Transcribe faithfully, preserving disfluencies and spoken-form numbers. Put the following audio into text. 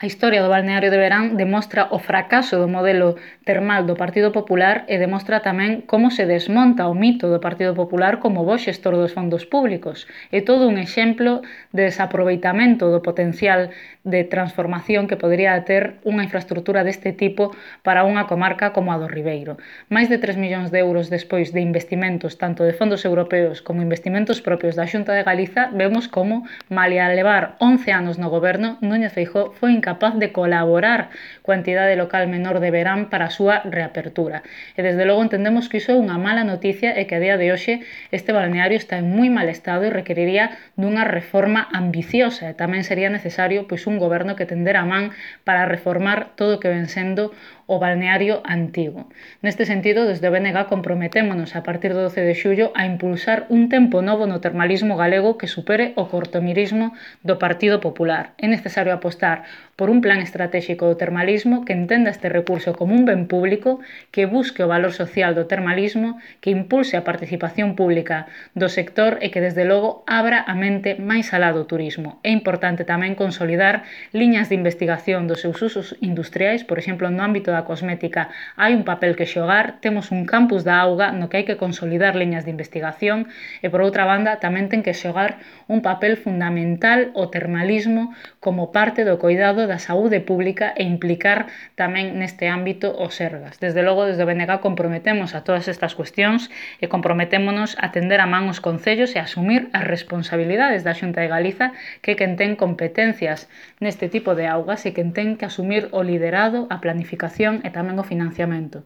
A historia do balneario de Verán demostra o fracaso do modelo termal do Partido Popular e demostra tamén como se desmonta o mito do Partido Popular como bo xestor dos fondos públicos. É todo un exemplo de desaproveitamento do potencial de transformación que podría ter unha infraestructura deste tipo para unha comarca como a do Ribeiro. Máis de tres millóns de euros despois de investimentos tanto de fondos europeos como investimentos propios da Xunta de Galiza, vemos como, malia levar once anos no goberno, Núñez Feijóo foi incapaz capaz de colaborar coa entidade local menor de Verán para a súa reapertura. E desde logo entendemos que iso é unha mala noticia e que a día de hoxe este balneario está en moi mal estado e requeriría dunha reforma ambiciosa e tamén sería necesario pois un goberno que tendera a man para reformar todo o que ven sendo o balneario antigo. Neste sentido, desde o B N G comprometémonos a partir do doce de xullo a impulsar un tempo novo no termalismo galego que supere o cortomirismo do Partido Popular. É necesario apostar por un plan estratégico do termalismo que entenda este recurso como un ben público, que busque o valor social do termalismo, que impulse a participación pública do sector e que, desde logo, abra a mente máis alá do turismo. É importante tamén consolidar liñas de investigación dos seus usos industriais, por exemplo, no ámbito da cosmética hai un papel que xogar, temos un campus da auga no que hai que consolidar liñas de investigación e, por outra banda, tamén ten que xogar un papel fundamental o termalismo como parte do coidado da saúde pública e implicar tamén neste ámbito o Sergas. Desde logo, desde o B N G comprometemos a todas estas cuestións e comprometémonos a tender a man os concellos e a asumir as responsabilidades da Xunta de Galiza, que quen ten competencias neste tipo de augas e quen ten que asumir o liderado, a planificación e tamén o financiamento.